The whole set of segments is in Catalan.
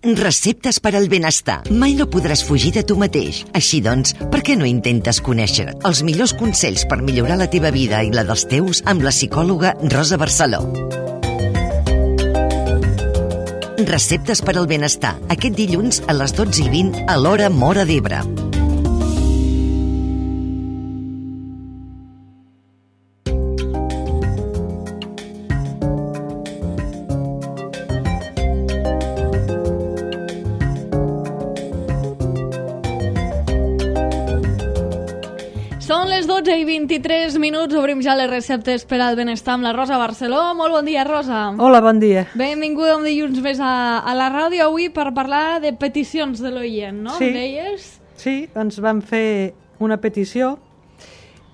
Receptes per al benestar. Mai no podràs fugir de tu mateix. Així doncs, per què no intentes conèixer els millors consells per millorar la teva vida i la dels teus amb la psicòloga Rosa Barceló? Receptes per al benestar. Aquest dilluns a les 12:20 a l'hora Móra d'Ebre. Són les 12:23, obrim ja les receptes per al benestar amb la Rosa Barceló. Molt bon dia, Rosa. Hola, bon dia. Benvinguda un dilluns més a la ràdio avui per parlar de peticions de l'oient, no? Sí. Em deies? Sí, ens van fer una petició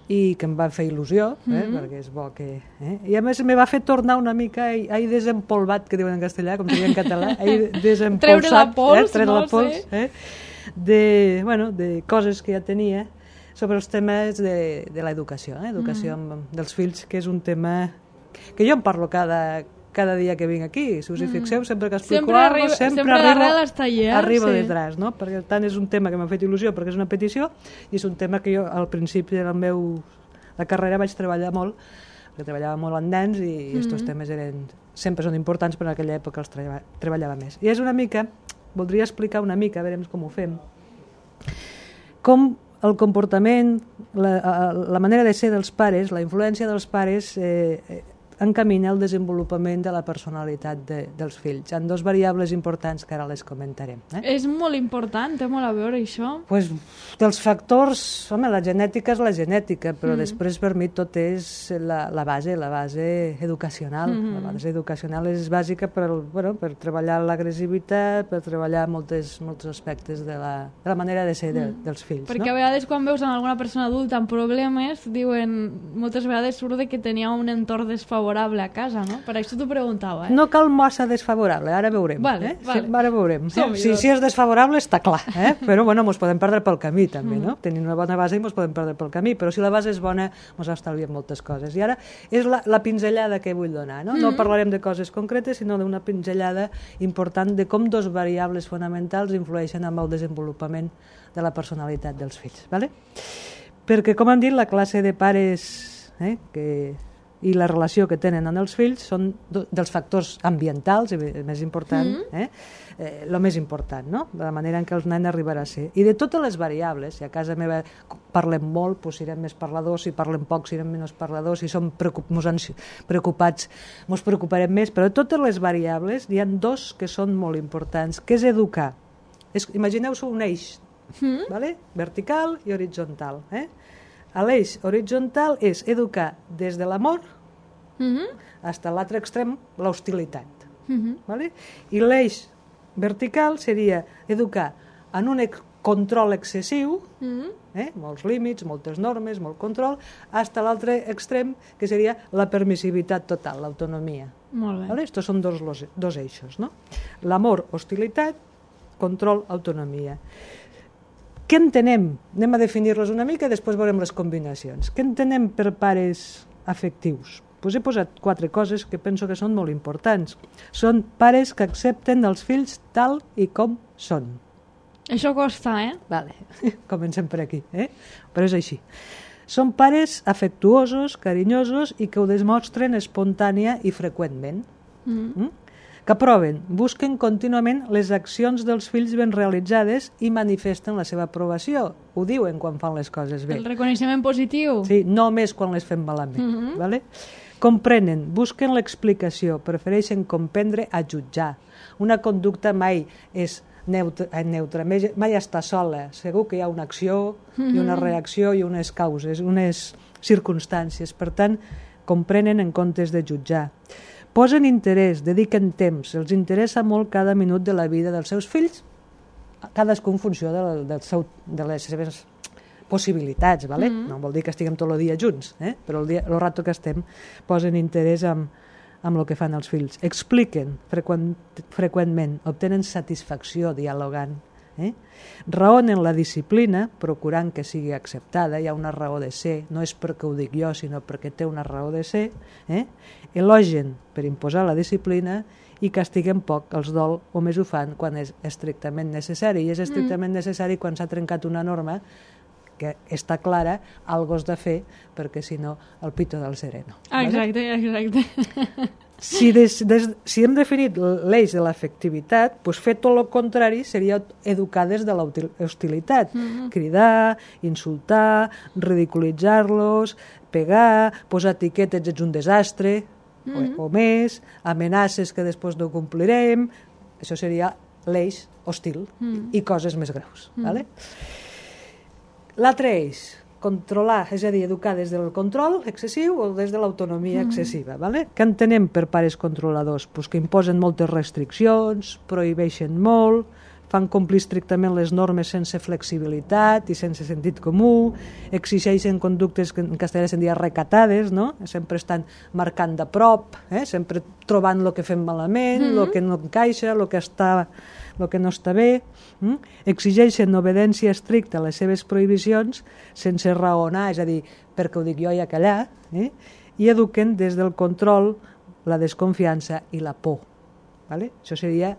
i que em va fer il·lusió, perquè és bo que... I a més me va fer tornar una mica ahir desempolvat, que diuen en castellà, com seria en català, ahir desempolsat. Treure la pols, treure no? la pols, de coses que ja tenia sobre els temes de l'educació, educació dels fills, que és un tema que jo en parlo cada dia que vinc aquí. Si us hi fixeu, sempre que explico alguna cosa, sempre arribo detrás, no? Perquè tant és un tema que m'ha fet il·lusió perquè és una petició i és un tema que jo al principi de la carrera vaig treballar molt, perquè treballava molt amb nens i aquests temes sempre són importants, però en aquella època els treballava més. I és una mica, voldria explicar una mica, a veure com ho fem, com el comportament, la manera de ser dels pares, la influència dels pares encamina el desenvolupament de la personalitat dels fills. Hi ha dos variables importants que ara les comentarem. És molt important, té molt a veure això. Pues, dels factors, home, la genètica és la genètica, però després per mi tot és la base educacional. La base educacional és bàsica per treballar l'agressivitat, per treballar molts aspectes de la manera de ser dels fills. Perquè a vegades quan veus en alguna persona adulta amb problemes, diuen, moltes vegades surt que tenia un entorn desfavorable a casa, no? Per això t'ho preguntava. No cal massa desfavorable, ara veurem. Vale. Sí, ara veurem. Si és desfavorable està clar, però ens podem perdre pel camí també, no? Tenim una bona base i ens podem perdre pel camí, però si la base és bona ens estalviem moltes coses. I ara és la pinzellada que vull donar, no? No parlarem de coses concretes, sinó d'una pinzellada important de com dos variables fonamentals influeixen en el desenvolupament de la personalitat dels fills, vale? Perquè, com han dit, la classe de pares i la relació que tenen amb els fills són dels factors ambientals, el més important, el més important, no? De la manera en què el nen arribarà a ser. I de totes les variables, si a casa meva parlem molt, doncs serem més parladors, si parlem poc serem menys parladors, si som preocupats ens preocuparem més, però de totes les variables hi ha dos que són molt importants, que és educar. Imagineu-vos un eix, vertical i horitzontal, l'eix horitzontal és educar des de l'amor fins a l'altre extrem, l'hostilitat. I l'eix vertical seria educar en un control excessiu, molts límits, moltes normes, molt control, fins a l'altre extrem, que seria la permissivitat total, l'autonomia. Molt bé. Estos són dos eixos, no? L'amor, hostilitat, control, autonomia. Què entenem? Anem a definir-los una mica i després veurem les combinacions. Què entenem per pares afectius? Pues he posat 4 coses que penso que són molt importants. Són pares que accepten els fills tal i com són. Això costa, Vale. Comencem per aquí, però és així. Són pares afectuosos, carinyosos i que ho demostren espontània i freqüentment. Que aproven, busquen contínuament les accions dels fills ben realitzades i manifesten la seva aprovació. Ho diuen quan fan les coses bé. El reconeixement positiu. Sí, no només quan les fem malament. Vale? Comprenen, busquen l'explicació, prefereixen comprendre a jutjar. Una conducta mai és neutra, mai està sola. Segur que hi ha una acció i una reacció i unes causes, unes circumstàncies. Per tant, comprenen en comptes de jutjar. Posen interès, dediquen temps, els interessa molt cada minut de la vida dels seus fills, cadascú en funció de les seves possibilitats, ¿vale? No vol dir que estiguem tot el dia junts, però el rato que estem posen interès amb el que fan els fills. Expliquen freqüentment, obtenen satisfacció dialogant, raonen la disciplina, procurant que sigui acceptada, hi ha una raó de ser, no és perquè ho dic jo, sinó perquè té una raó de ser, elogen per imposar la disciplina i castiguen poc. Els dol només ho fan quan és estrictament necessari, i és estrictament necessari quan s'ha trencat una norma que està clara, algo has de fer, perquè si no, el pito del sereno. Exacte, exacte. Si hem definit l'eix de l'afectivitat, doncs fer tot el contrari seria educar des de l'hostilitat. Cridar, insultar, ridiculitzar-los, pegar, posar etiquetes, ets un desastre, o més, amenaces que després no complirem. Això seria l'eix hostil i coses més greus. Vale? L'altre eix, controlar, és a dir, educar des del control excessiu o des de l'autonomia excessiva. Vale? Què entenem per pares controladors? Pues que imposen moltes restriccions, prohibeixen molt, fan complir estrictament les normes sense flexibilitat i sense sentit comú, exigeixen conductes que en castellà se'n diria recatades, no? Sempre estan marcant de prop, sempre trobant el que fem malament, el que no encaixa, el que no està bé. Exigeixen obediència estricta a les seves prohibicions sense raonar, és a dir, perquè ho dic jo i a callar, i eduquen des del control, la desconfiança i la por. Vale? Això seria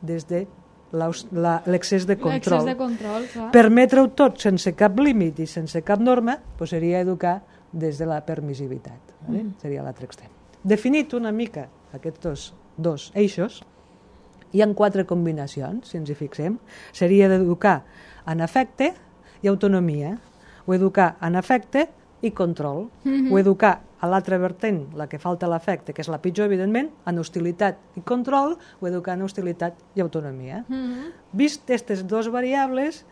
des de l'excés de control. L'excés de control, clar. Permetre-ho tot sense cap límit i sense cap norma, doncs seria educar des de la permissivitat. Vale? Seria l'altre extrem. Definit una mica aquests dos eixos, hi ha 4 combinacions, si ens hi fixem. Seria d'educar en afecte i autonomia, o educar en afecte i control, o educar a l'altra vertent, la que falta l'afecte, que és la pitjor, evidentment, en hostilitat i control, o educar en hostilitat i autonomia. Vist aquestes 2 variables,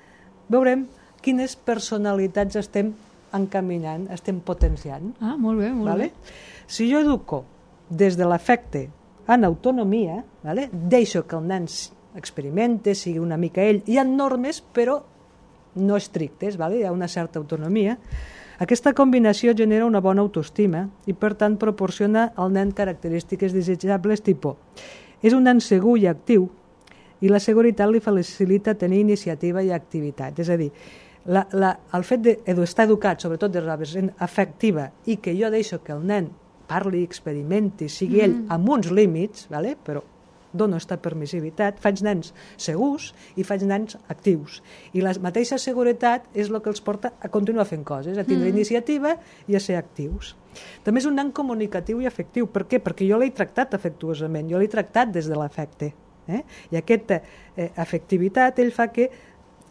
veurem quines personalitats estem encaminant, estem potenciant. Ah, molt bé, molt bé. Si jo educo des de l'afecte en autonomia, deixo que el nen experimente, sigui una mica ell. Hi ha normes, però no estrictes, hi ha una certa autonomia. Aquesta combinació genera una bona autoestima i, per tant, proporciona al nen característiques desitjables tipus. És un nen segur i actiu i la seguretat li facilita tenir iniciativa i activitat. És a dir, el fet d'estar educat, sobretot de la vessant afectiva, i que jo deixo que el nen parli, experimenti, sigui ell amb uns límits, però dono aquesta permissivitat, faig nens segurs i faig nens actius. I la mateixa seguretat és el que els porta a continuar fent coses, a tindre iniciativa i a ser actius. També és un nen comunicatiu i afectiu. Per què? Perquè jo l'he tractat afectuosament, jo l'he tractat des de l'afecte. I aquesta afectivitat ell fa que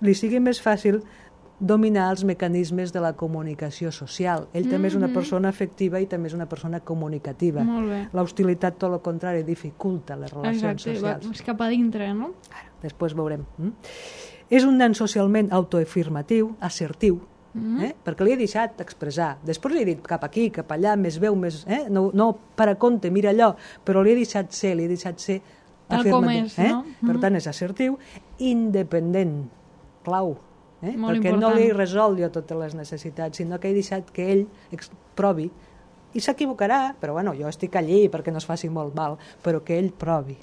li sigui més fàcil dominar els mecanismes de la comunicació social. Ell també és una persona afectiva i també és una persona comunicativa. L'hostilitat, tot el contrari, dificulta les relacions socials. Exacte, és cap a dintre, no? Després veurem. És un nen socialment autoafirmatiu, assertiu, perquè li he deixat expressar. Després li he dit cap aquí, cap allà, més veu, més... No per a compte, mira allò, però li he deixat ser afirmatiu. Per tant, és assertiu, independent, clau, perquè no li resol jo totes les necessitats, sinó que he deixat que ell provi, i s'equivocarà, però jo estic allí perquè no es faci molt mal, però que ell provi,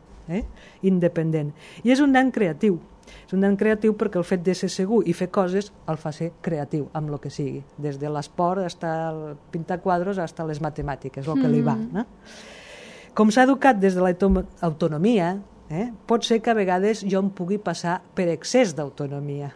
independent. I és un nen creatiu. És un nen creatiu perquè el fet de ser segur i fer coses el fa ser creatiu, amb el que sigui, des de l'esport fins a pintar quadros fins a les matemàtiques, el que li va. Com s'ha educat des de l'autonomia, pot ser que a vegades jo em pugui passar per excés d'autonomia.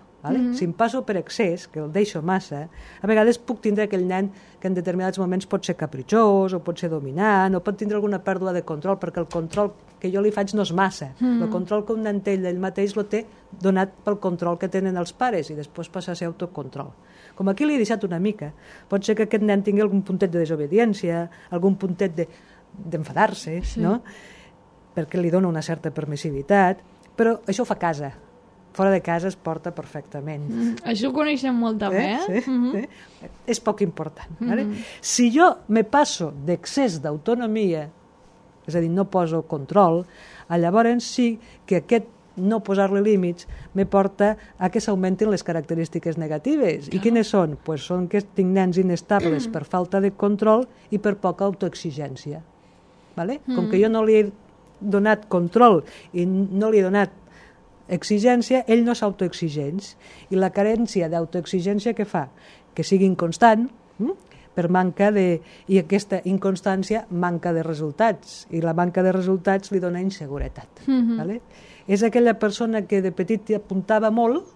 Si em passo per excés, que el deixo massa, a vegades puc tindre aquell nen que en determinats moments pot ser capritxós o pot ser dominant o pot tindre alguna pèrdua de control, perquè el control que jo li faig no és massa. El control que un nen té ell mateix el té donat pel control que tenen els pares i després passa a ser autocontrol. Com aquí li he deixat una mica, pot ser que aquest nen tingui algun puntet de desobediència, algun puntet d'enfadar-se, perquè li dona una certa permissivitat, però això ho fa a casa. Fora de casa es porta perfectament. Això ho coneixem molt també, Sí. És poc important. Si jo me passo d'excés d'autonomia, és a dir, no poso control, llavors sí que aquest no posar-li límits me porta a que s'augmentin les característiques negatives. I quines són? Són que tinc nens inestables per falta de control i per poca autoexigència. Com que jo no li he donat control i no li he donat exigència, ell no s'autoexigeix. I la carència d'autoexigència què fa? Que sigui inconstant, per manca de... I aquesta inconstància manca de resultats, i la manca de resultats li dona inseguretat. Vale? És aquella persona que de petit apuntava molt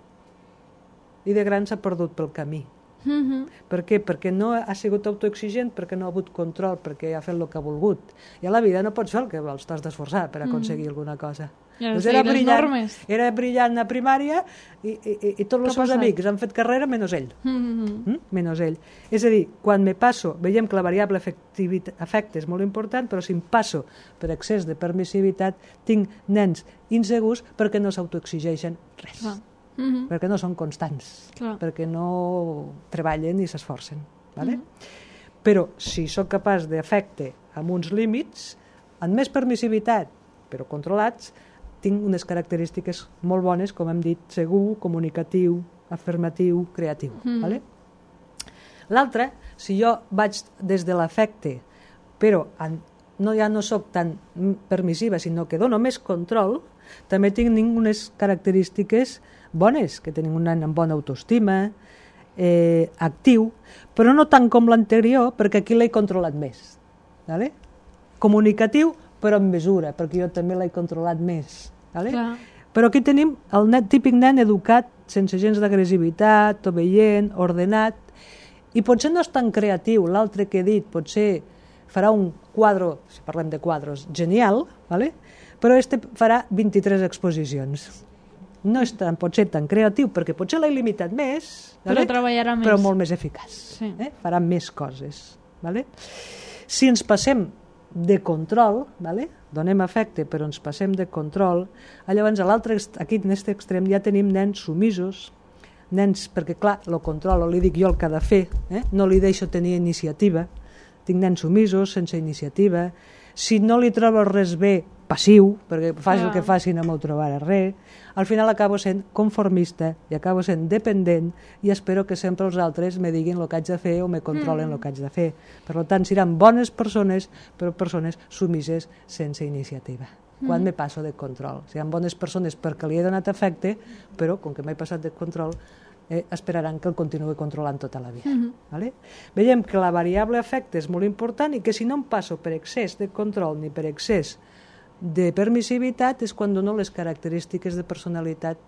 i de gran s'ha perdut pel camí. Per què? Perquè no ha sigut autoexigent, perquè no ha hagut control, perquè ha fet el que ha volgut. I a la vida no pots fer el que vols, t'has d'esforçar per aconseguir alguna cosa. Doncs era brillant a primària i tots els seus amics han fet carrera menys ell. Menys ell. És a dir, quan me passo, veiem que la variable afecte és molt important, però si em passo per excés de permissivitat, tinc nens insegurs perquè no s'autoexigeixen res. Perquè no són constants, perquè no treballen i s'esforcen. Però si sóc capaç d'afecte amb uns límits, amb més permissivitat, però controlats, tinc unes característiques molt bones, com hem dit, segur, comunicatiu, afirmatiu, creatiu. L'altre, si jo vaig des de l'afecte, però ja no sóc tan permissiva, sinó que dono més control, també tinc unes característiques bones, que tenim un nen amb bona autoestima, actiu, però no tant com l'anterior, perquè aquí l'he controlat més. Comunicatiu, però en mesura, perquè jo també l'he controlat més. Però aquí tenim el típic nen educat, sense gens d'agressivitat, obeient, ordenat, i potser no és tan creatiu. L'altre que he dit potser farà un quadre, si parlem de quadres, genial, però este farà 23 exposicions. No és potser tan creatiu, perquè potser l'he limitat més, però treballarà més. Però molt més eficaç. Farà més coses. Si ens passem de control, donem afecte però ens passem de control, llavors aquí en aquest extrem ja tenim nens sumisos, nens, perquè clar, el control li dic jo el que ha de fer, no li deixo tenir iniciativa, tinc nens sumisos, sense iniciativa, si no li trobo res bé, passiu, perquè faci el que faci no m'ho trobarà res, al final acabo sent conformista i acabo sent dependent i espero que sempre els altres me diguin el que haig de fer o me controlen el que haig de fer. Per tant, seran bones persones, però persones sumises sense iniciativa. Quan me passo de control. Seran bones persones perquè li he donat afecte, però com que m'he passat de control, esperaran que el continuï controlant tota la vida. Veiem que la variable afecte és molt important i que si no em passo per excés de control ni per excés de permissivitat és quan dono les característiques de personalitat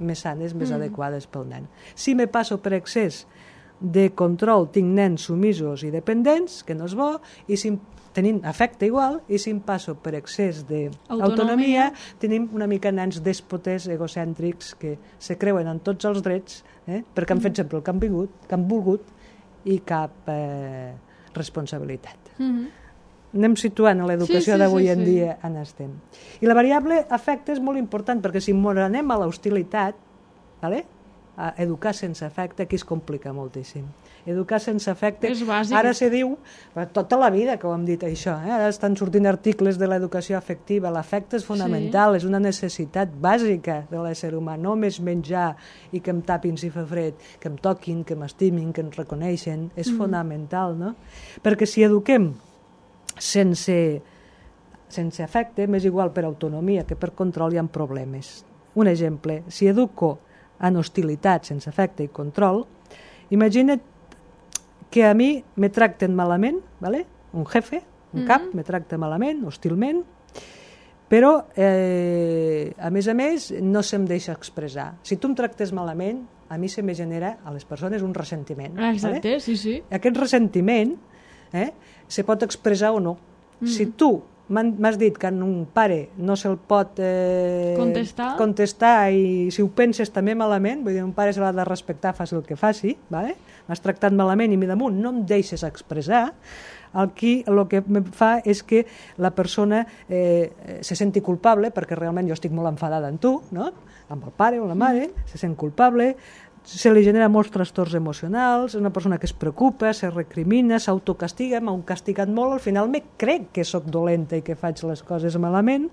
més sanes, més adequades pel nen. Si me passo per excés de control, tinc nens sumisos i dependents, que no és bo, i si tenint afecte igual, i si em passo per excés d'autonomia, tenim una mica nens dèspotes, egocèntrics, que se creuen en tots els drets, perquè han fet sempre el que han volgut, i cap responsabilitat. Anem situant a l'educació d'avui en dia on estem. I la variable afecte és molt important, perquè si anem a l'hostilitat, a educar sense afecte, aquí es complica moltíssim. Educar sense afecte, ara se diu, tota la vida que ho hem dit això, ara estan sortint articles de l'educació afectiva, l'afecte és fonamental, és una necessitat bàsica de l'ésser humà, no només menjar i que em tapin si fa fred, que em toquin, que m'estimin, que em reconeixen, és fonamental, no? Perquè si eduquem sense afecte, m'és igual per autonomia que per control, hi ha problemes. Un exemple, si educo en hostilitat, sense afecte i control, imagina't que a mi me tracten malament, un jefe, un cap, me tracta malament, hostilment, però a més no se'm deixa expressar. Si tu em tractes malament, a mi se me genera a les persones un ressentiment. Exacte, sí. Aquest ressentiment se pot expressar o no. Si tu m'has dit que un pare no se'l pot contestar i si ho penses també malament, vull dir, un pare se l'ha de respectar, faci el que faci, m'has tractat malament i damunt no em deixes expressar, aquí el que em fa és que la persona se senti culpable, perquè realment jo estic molt enfadada amb tu, amb el pare o la mare, se sent culpable, se li genera molts trastorns emocionals, una persona que es preocupa, se recrimina, s'autocastiga, m'ha castigat molt, al final me crec que sóc dolenta i que faig les coses malament,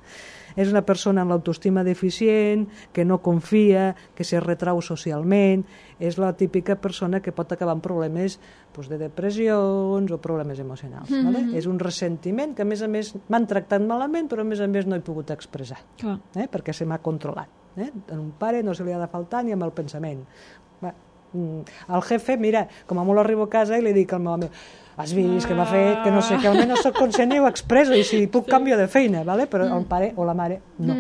és una persona amb l'autoestima deficient, que no confia, que se retrau socialment, és la típica persona que pot acabar amb problemes de depressions o problemes emocionals. És un ressentiment que a més m'han tractat malament, però a més no he pogut expressar, perquè se m'ha controlat. A un pare no se li ha de faltar ni amb el pensament. al jefe, mira, com a molt arribo a casa i li dic al meu amic, has vist que m'ha fet, que no sé, que almenys soc conscient i ho expreso, i si puc canvio de feina, ¿vale? Però el pare o la mare no.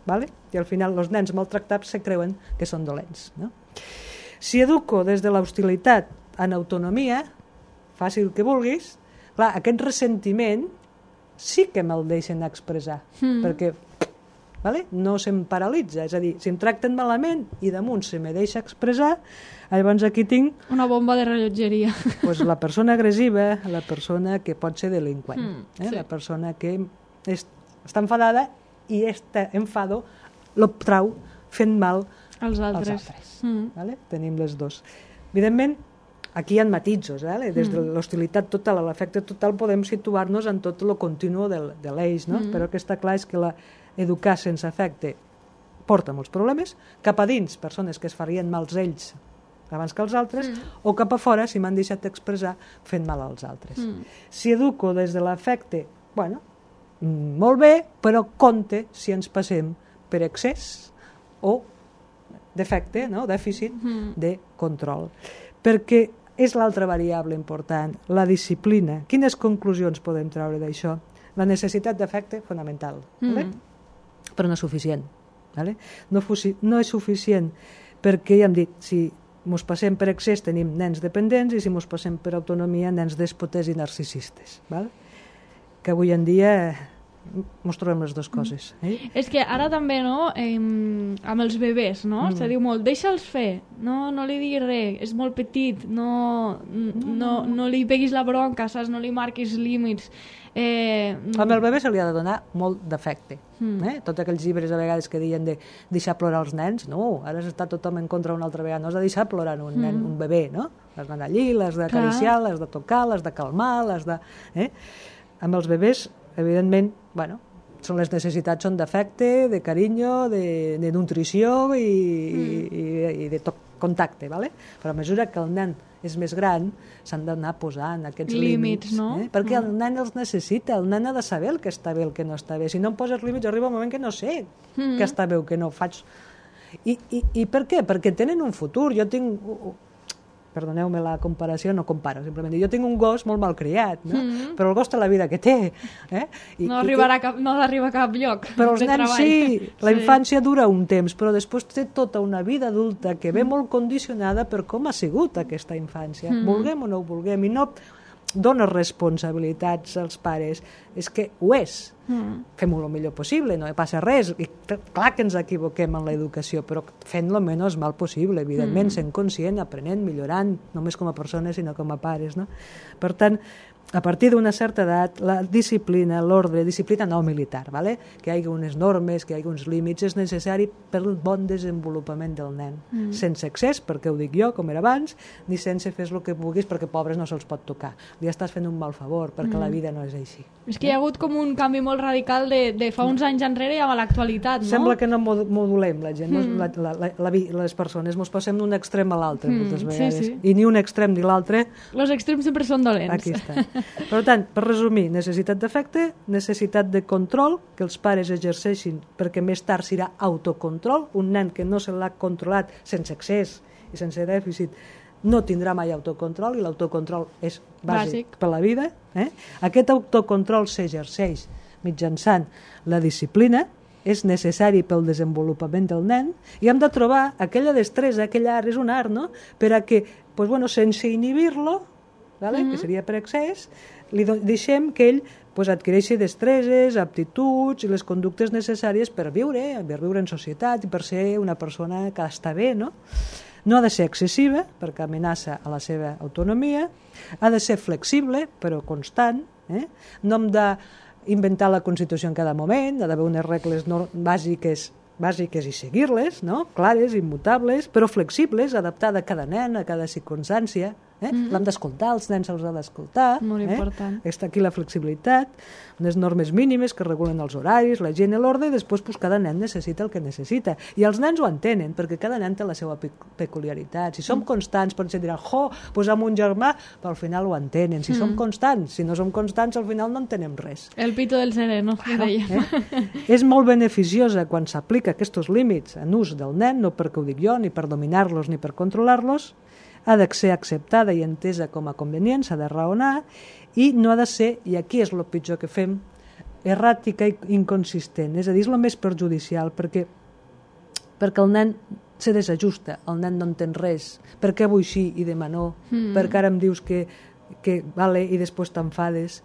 ¿Vale? I al final els nens maltractats se creuen que són dolents. No? Si educo des de l'hostilitat en autonomia, faci el que vulguis, clar, aquest ressentiment sí que me'l deixen expressar, perquè no se'm paralitza, és a dir, si em tracten malament i damunt se me deixa expressar, llavors aquí tinc... Una bomba de rellotgeria. Pues la persona agressiva, la persona que pot ser delinqüent, la persona que està enfadada i este enfado lo trau fent mal als altres. Vale? Tenim les dos. Evidentment, aquí hi ha matisos, des de l'hostilitat total a l'afecte total podem situar-nos en tot el continu de l'eix, no? Però el que està clar és que educar sense afecte porta molts problemes, cap a dins, persones que es farien mals ells abans que els altres, o cap a fora, si m'han deixat expressar, fent mal als altres. Si educo des de l'afecte, bueno, molt bé, però compte si ens passem per excés o defecte, no? Dèficit de control. Perquè és l'altra variable important, la disciplina. Quines conclusions podem treure d'això? La necessitat d'afecte, fonamental, però no és suficient. No és suficient perquè, ja hem dit, si mos passem per excés tenim nens dependents i si mos passem per autonomia nens dèspotes i narcisistes. Que avui en dia mos trobem les dues coses. És que ara també, no, amb els bebès, no? Se diu molt, deixa'ls fer, no li diguis res, és molt petit, no li peguis la bronca, saps? No li marquis límits. Amb el bebè se li ha de donar molt d'afecte. Tots aquells llibres a vegades que diuen de deixar plorar els nens, no, ara està tothom en contra una altra vegada, no has de deixar plorar un nen, un bebè, no? L'has d'anar allí, l'has d'acariciar, l'has de tocar, l'has de calmar, l'has de... Amb els bebès, evidentment, són les necessitats són d'afecte, de carinyo, de nutrició i de contacte, però a mesura que el nen és més gran s'han d'anar posant aquests límits, no? Perquè el nen els necessita, el nen ha de saber el que està bé, el que no està bé. Si no em poses límits arriba un moment que no sé què està bé o què no faig. I per què? Perquè tenen un futur. Jo tinc... Perdoneu-me la comparació, no comparo, simplement jo tinc un gos molt malcriat, però el gos té la vida que té. No arriba a cap lloc. Però els nens sí, la infància dura un temps, però després té tota una vida adulta que ve molt condicionada per com ha sigut aquesta infància, vulguem o no ho vulguem, i no dona responsabilitats als pares, és que ho és. Fem-ho el millor possible, no passa res, i clar que ens equivoquem en l'educació, però fent lo menys mal possible, evidentment, sent conscient, aprenent, millorant, no només com a persones sinó com a pares, no? Per tant, a partir d'una certa edat, la disciplina, l'ordre, disciplina no militar, que hi hagi unes normes, que hi hagi uns límits, és necessari per al bon desenvolupament del nen. Sense excés, perquè ho dic jo, com era abans, ni sense fes el que vulguis, perquè pobres no se'ls pot tocar. Li estàs fent un mal favor, perquè la vida no és així. És que hi ha hagut com un canvi molt radical de fa uns anys enrere i a l'actualitat, no? Sembla que no modulem la gent, les persones, mos passem d'un extrem a l'altre moltes vegades, i ni un extrem ni l'altre. Els extrems sempre són dolents. Aquí està. Per tant, per resumir, necessitat d'afecte, necessitat de control, que els pares exerceixin, perquè més tard serà autocontrol. Un nen que no se l'ha controlat sense excés i sense dèficit no tindrà mai autocontrol, i l'autocontrol és bàsic per la vida. Aquest autocontrol s'exerceix mitjançant la disciplina, és necessari pel desenvolupament del nen, i hem de trobar aquella destresa, aquell art, és un art, no?, per a que, sense inhibir-lo, que seria per excés, li deixem que ell adquireixi destreses, aptituds i les conductes necessàries per viure en societat i per ser una persona que està bé, no? No ha de ser excessiva, perquè amenaça a la seva autonomia, ha de ser flexible, però constant, no hem d'inventar la Constitució en cada moment, ha d'haver unes regles bàsiques i seguir-les, no? Clares, immutables, però flexibles, adaptada a cada nen, a cada circumstància, L'hem d'escoltar, els nens se'ls ha d'escoltar. Molt important. Està aquí la flexibilitat, unes normes mínimes que regulen els horaris, la higiene, l'ordre, i després cada nen necessita el que necessita. I els nens ho entenen, perquè cada nen té la seva peculiaritat. Si som constants, potser diran, doncs amb un germà, però al final ho entenen. Si som constants, si no som constants, al final no entenem res. El pito del sereno, que dèiem. És molt beneficiosa quan s'aplica aquests límits en ús del nen, no perquè ho dic jo, ni per dominar-los ni per controlar-los. Ha de ser acceptada i entesa com a convenient, s'ha de raonar, i no ha de ser, i aquí és el pitjor que fem, erràtica i inconsistent. És a dir, és el més perjudicial, perquè el nen se desajusta, el nen no entén res. Per què vull sí i demà no? Perquè ara em dius que vale i després t'enfades.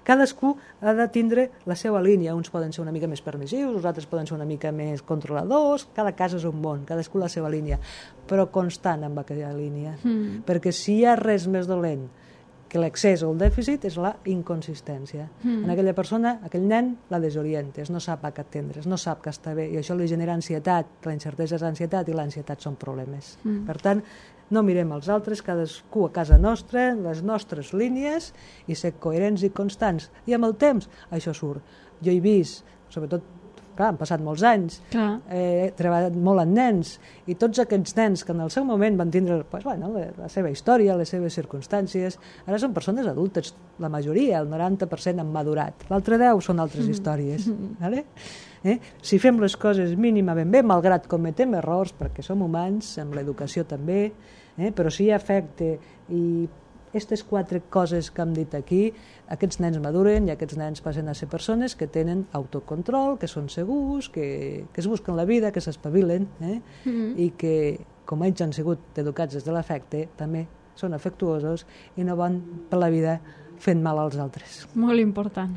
Cadascú ha de tindre la seva línia. Uns poden ser una mica més permissius, els altres poden ser una mica més controladors, cada cas és un món, cadascú la seva línia, però constant amb aquella línia, perquè si hi ha res més dolent que l'excés o el dèficit és la inconsistència. En aquella persona, aquell nen, la desorientes, no sap a què atendre's, no sap que està bé, i això li genera ansietat, la incertesa és ansietat i l'ansietat són problemes. Per tant, no mirem els altres, cadascú a casa nostra, les nostres línies, i ser coherents i constants. I amb el temps això surt. Jo he vist, sobretot, clar, han passat molts anys, he treballat molt amb nens, i tots aquests nens que en el seu moment van tindre la seva història, les seves circumstàncies, ara són persones adultes, la majoria, el 90% han madurat. L'altre 10 són altres històries. Si fem les coses mínima ben bé, malgrat cometem errors, perquè som humans, amb l'educació també, però si hi ha afecte i aquestes 4 coses que hem dit aquí, aquests nens maduren i aquests nens passen a ser persones que tenen autocontrol, que són segurs, que es busquen la vida, que s'espavilen, i que, com ells han sigut educats des de l'afecte, també són afectuosos i no van per la vida fent mal als altres. Molt important.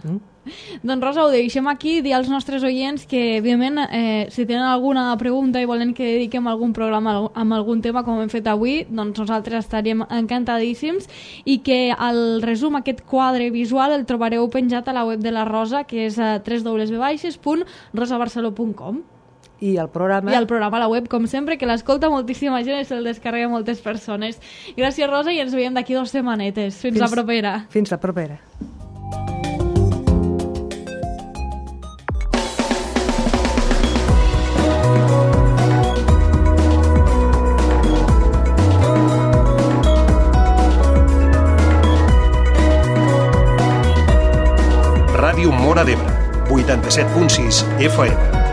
Doncs Rosa, ho deixem aquí, dir als nostres oients que, evidentment, si tenen alguna pregunta i volen que dediquem algun programa amb algun tema com hem fet avui, doncs nosaltres estaríem encantadíssims, i que el resum, aquest quadre visual, el trobareu penjat a la web de la Rosa, que és a www.rosabarceló.com. I el programa a la web, com sempre, que l'escolta moltíssima gent i se'l descarrega moltes persones. Gràcies, Rosa, i ens veiem d'aquí 2 setmanetes. Fins la propera. Fins la propera. Ràdio Móra d'Ebre, 87.6 FM.